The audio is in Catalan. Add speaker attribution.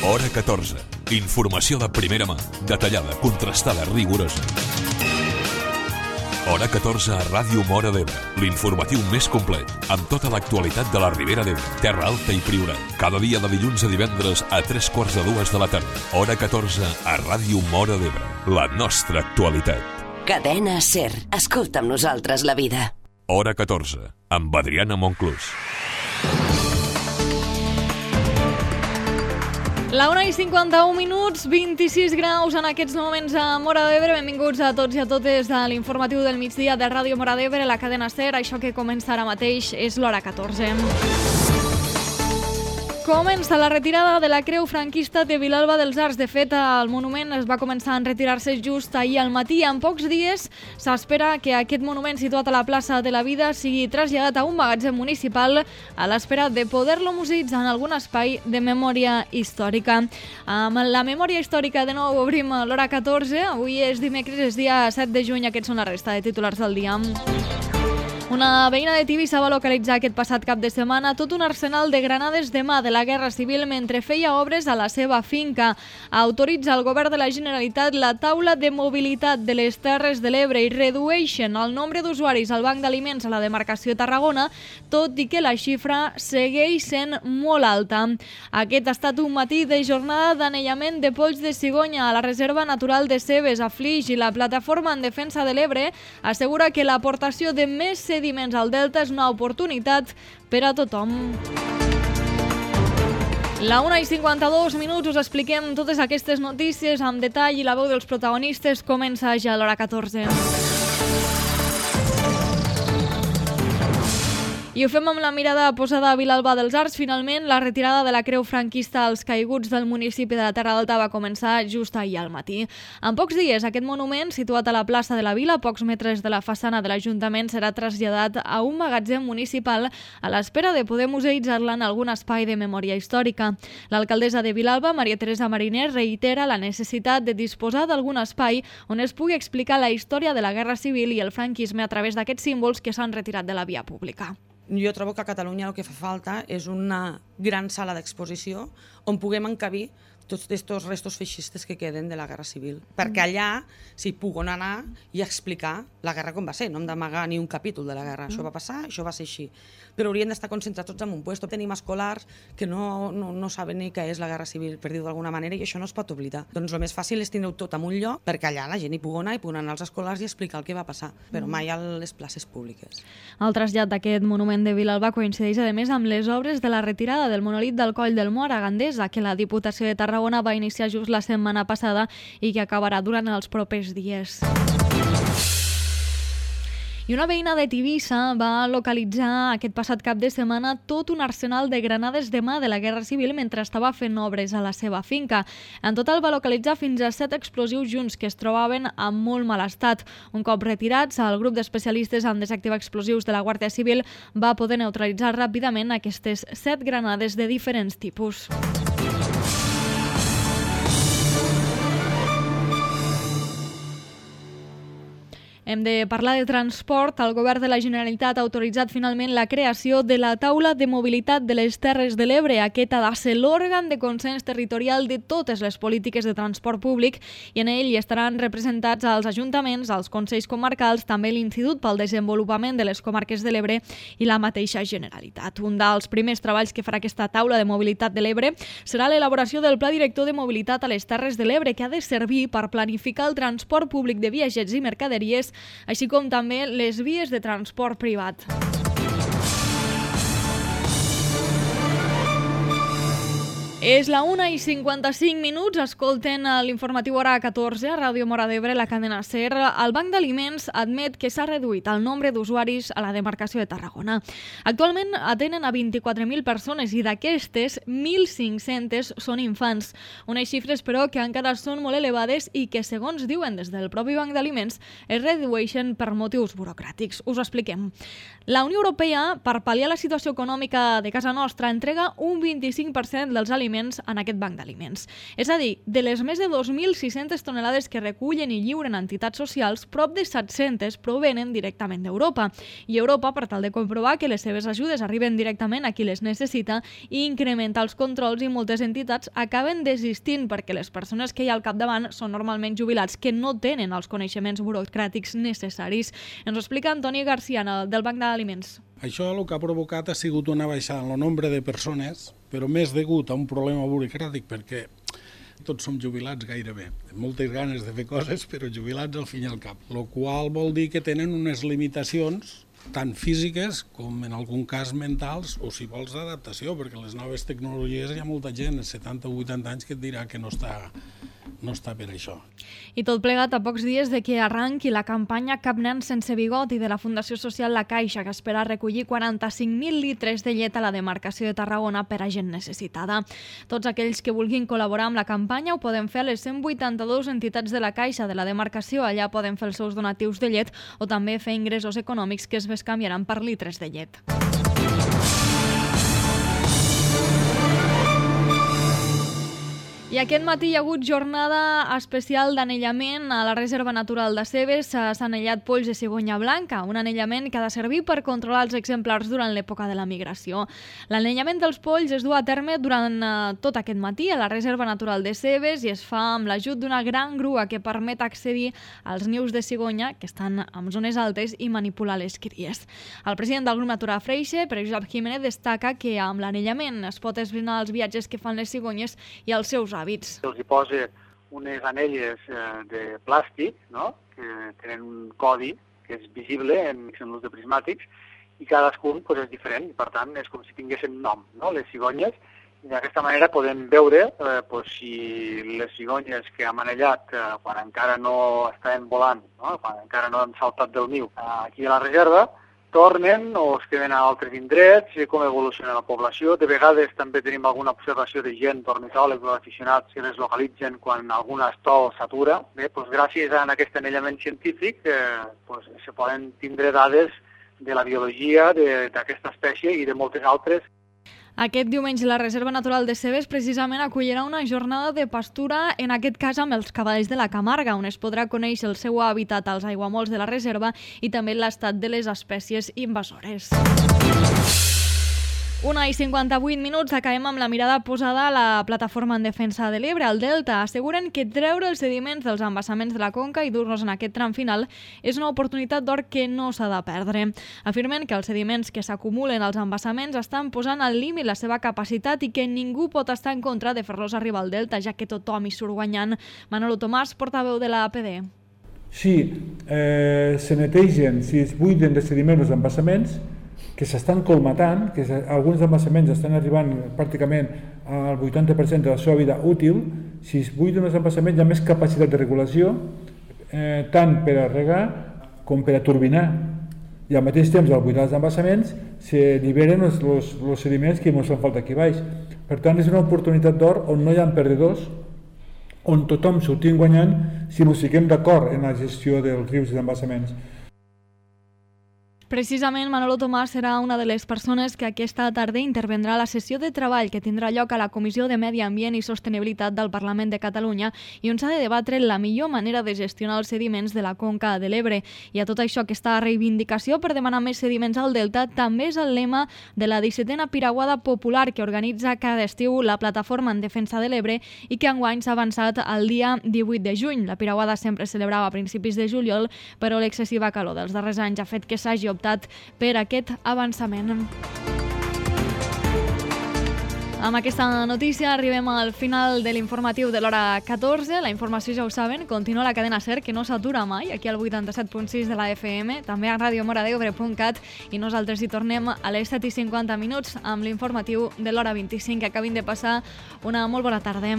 Speaker 1: Hora 14. Informació de primera mà, detallada, contrastada, rigorosa. Hora 14 a Ràdio Móra d'Ebre, l'informatiu més complet, amb tota l'actualitat de la Ribera d'Ebre, Terra Alta i Priorat. Cada dia de dilluns a divendres a 3:45 de la tarda. Hora 14 a Ràdio Móra d'Ebre, la nostra actualitat.
Speaker 2: Cadena SER. Escolta amb nosaltres la vida.
Speaker 1: Hora 14, amb Adriana Monclús.
Speaker 3: La 1:51, 26 graus en aquests moments a Móra d'Ebre. Benvinguts a tots i a totes a l'informatiu del migdia de Ràdio Móra d'Ebre, la cadena SER. Això que comença ara mateix és l'Hora 14. Comença la retirada de la creu franquista de Vilalba dels Arcs. De fet, el monument es va començar a retirar-se just ahir al matí. En pocs dies s'espera que aquest monument situat a la plaça de la Vida sigui traslladat a un magatzem municipal a l'espera de poder-lo museïtzar en algun espai de memòria històrica. Amb la memòria històrica de nou obrim l'Hora 14. Avui és dimecres, és dia 7 de juny. Aquests són la resta de titulars del dia. Una veïna de Tivissa va localitzar aquest passat cap de setmana tot un arsenal de granades de mà de la Guerra Civil mentre feia obres a la seva finca. Autoritza el govern de la Generalitat la taula de mobilitat de les Terres de l'Ebre i redueixen el nombre d'usuaris al banc d'aliments a la demarcació Tarragona, tot i que la xifra segueix sent molt alta. Aquest ha estat un matí de jornada d'anellament de polls de cigonya a la Reserva Natural de Cebes, a Flix, i la Plataforma en Defensa de l'Ebre assegura que l'aportació de més sediments al delta és una oportunitat per a tothom. La 1:52, us expliquem totes aquestes notícies amb detall i la veu dels protagonistes comença ja a l'Hora 14. I ho fem amb la mirada posada a Vilalba dels Arcs. Finalment, la retirada de la creu franquista als caiguts del municipi de la Terra Alta va començar just ahir al matí. En pocs dies, aquest monument, situat a la plaça de la Vila, a pocs metres de la façana de l'Ajuntament, serà traslladat a un magatzem municipal a l'espera de poder museïtzar-la en algun espai de memòria històrica. L'alcaldessa de Vilalba, Maria Teresa Mariner, reitera la necessitat de disposar d'algun espai on es pugui explicar la història de la Guerra Civil i el franquisme a través d'aquests símbols que s'han retirat de la via pública.
Speaker 4: Jo trobo que a Catalunya el que fa falta és una gran sala d'exposició on puguem encabir tots aquests restos feixistes que queden de la Guerra Civil. Perquè allà s'hi puguen anar i explicar la guerra com va ser. No hem d'amagar ni un capítol de la guerra. Això va passar, això va ser així. Però haurien d'estar concentrats tots en un lloc. Tenim escolars que no saben ni què és la Guerra Civil, per dir-ho d'alguna manera, i això no es pot oblidar. Doncs el més fàcil és tindre-ho tot en un lloc perquè allà la gent hi pugui anar, als escolars i explicar el que va passar, però mai a les places públiques.
Speaker 3: El trasllat d'aquest monument de Vilalba coincideix, a més, amb les obres de la retirada del monolit del Coll del Mor a Gandesa, que la Diputació de Tarragona va iniciar just la setmana passada i que acabarà durant els propers dies. I una veïna de Tivissa va localitzar aquest passat cap de setmana tot un arsenal de granades de mà de la Guerra Civil mentre estava fent obres a la seva finca. En total va localitzar fins a 7 explosius junts que es trobaven en molt mal estat. Un cop retirats, el grup d'especialistes en desactivar explosius de la Guàrdia Civil va poder neutralitzar ràpidament aquestes 7 granades de diferents tipus. Hem de parlar de transport. El govern de la Generalitat ha autoritzat finalment la creació de la taula de mobilitat de les Terres de l'Ebre. Aquest ha de ser l'òrgan de consens territorial de totes les polítiques de transport públic i en ell hi estaran representats els ajuntaments, els consells comarcals, també l'Institut pel Desenvolupament de les Comarques de l'Ebre i la mateixa Generalitat. Un dels primers treballs que farà aquesta taula de mobilitat de l'Ebre serà l'elaboració del Pla Director de Mobilitat a les Terres de l'Ebre, que ha de servir per planificar el transport públic de viatgers i mercaderies, així com també les vies de transport privat. És la 1:55, escolten l'informatiu Hora 14 a Ràdio Móra d'Ebre, la cadena SER. El Banc d'Aliments admet que s'ha reduït el nombre d'usuaris a la demarcació de Tarragona. Actualment atenen a 24.000 persones i d'aquestes 1.500 són infants. Unes xifres, però, que encara són molt elevades i que, segons diuen des del propi Banc d'Aliments, es redueixen per motius burocràtics. Us ho expliquem. La Unió Europea, per pal·liar la situació econòmica de casa nostra, entrega un 25% dels aliments d'aliments en aquest banc d'aliments. És a dir, de les més de 2.600 tonelades que recullen i lliuren entitats socials, prop de 700 provenen directament d'Europa. I Europa, per tal de comprovar que les seves ajudes arriben directament a qui les necessita i incrementar els controls, i moltes entitats acaben desistint perquè les persones que hi ha al capdavant són normalment jubilats que no tenen els coneixements burocràtics necessaris. Ens ho explica Antoni Garcia, del Banc d'Aliments.
Speaker 5: Això el que ha provocat ha sigut una baixada en el nombre de persones, però més degut a un problema burocràtic, perquè tots som jubilats gairebé. Moltes ganes de fer coses, però jubilats al fin i al cap. El qual vol dir que tenen unes limitacions tant físiques com en algun cas mentals o si vols d'adaptació, perquè les noves tecnologies hi ha molta gent de 70 o 80 anys que et dirà que no està per això.
Speaker 3: I tot plegat a pocs dies de que arranqui la campanya Cap nen sense bigot i de la Fundació Social La Caixa, que espera recollir 45.000 litres de llet a la demarcació de Tarragona per a gent necessitada. Tots aquells que vulguin col·laborar amb la campanya ho poden fer a les 182 entitats de la Caixa de la demarcació. Allà poden fer els seus donatius de llet o també fer ingressos econòmics que es bescanviaran per litres de llet. I aquest matí hi ha hagut jornada especial d'anellament a la Reserva Natural de Cebes. S'ha anellat polls de cigonya blanca, un anellament que ha de servir per controlar els exemplars durant l'època de la migració. L'anellament dels polls es du a terme durant tot aquest matí a la Reserva Natural de Cebes i es fa amb l'ajut d'una gran grua que permet accedir als nius de cigonya que estan en zones altes i manipular les cries. El president del grup Natura Freixe, Pere Josep Jiménez, destaca que amb l'anellament es pot esbrinar els viatges que fan les cigonyes i els seus hàbits.
Speaker 6: Se'ls hi posa unes anelles de plàstic, no?, que tenen un codi que és visible en l'ús de prismàtics i cadascun és diferent i per tant és com si tinguessin nom, no?, les cigonyes, i d'aquesta manera podem veure si les cigonyes que hem anellat quan encara no estaven volant, no?, quan encara no han saltat del niu aquí a la reserva, tornen o es queden a altres indrets, com evoluciona la població. De vegades també tenim alguna observació de gent, d'ornitòlegs o aficionats que les localitzen quan algun estol s'atura. Bé, gràcies a aquest anellament científic se poden tindre dades de la biologia d'aquesta espècie i de moltes altres.
Speaker 3: Aquest diumenge la Reserva Natural de Cebes precisament acollirà una jornada de pastura, en aquest cas amb els cavalls de la Camarga, on es podrà conèixer el seu hàbitat als aiguamolls de la reserva i també l'estat de les espècies invasores. 1:58, acabem amb la mirada posada a la plataforma en defensa de l'Ebre, al Delta. Asseguren que treure els sediments dels embassaments de la conca i dur-los en aquest tram final és una oportunitat d'or que no s'ha de perdre. Afirmen que els sediments que s'acumulen als embassaments estan posant al límit la seva capacitat i que ningú pot estar en contra de fer-los arribar al Delta, ja que tothom hi surt guanyant. Manolo Tomàs, portaveu de l'APD.
Speaker 7: Si se netegen, si es buiden de sediments els embassaments, que s'estan colmatant, que alguns embassaments estan arribant pràcticament al 80% de la seva vida útil, si es buiden els embassaments hi ha més capacitat de regulació, tant per a regar com per a turbinar. I al mateix temps, al buidar els embassaments, s'alliberen els sediments que ens fan falta aquí baix. Per tant, és una oportunitat d'or on no hi ha perdedors, on tothom sortim guanyant si ens fiquem d'acord en la gestió dels rius i embassaments.
Speaker 3: Precisament, Manolo Tomàs serà una de les persones que aquesta tarda intervendrà a la sessió de treball que tindrà lloc a la Comissió de Medi Ambient i Sostenibilitat del Parlament de Catalunya i on s'ha de debatre la millor manera de gestionar els sediments de la conca de l'Ebre. I a tot això, aquesta reivindicació per demanar més sediments al Delta també és el lema de la 17a Piraguada Popular que organitza cada estiu la Plataforma en Defensa de l'Ebre i que enguany s'ha avançat al dia 18 de juny. La Piraguada sempre es celebrava a principis de juliol, però l'excessiva calor dels darrers anys ha fet que s'hagi optat per aquest avançament. Amb aquesta notícia arribem al final de l'informatiu de l'hora 14. La informació, ja ho saben, continua a la cadena SER, que no s'atura mai, aquí al 87.6 de la FM, també a radiomoradebre.cat, i nosaltres hi tornem a les 7:50 amb l'informatiu de l'hora 25. Que acabin de passar una molt bona tarda.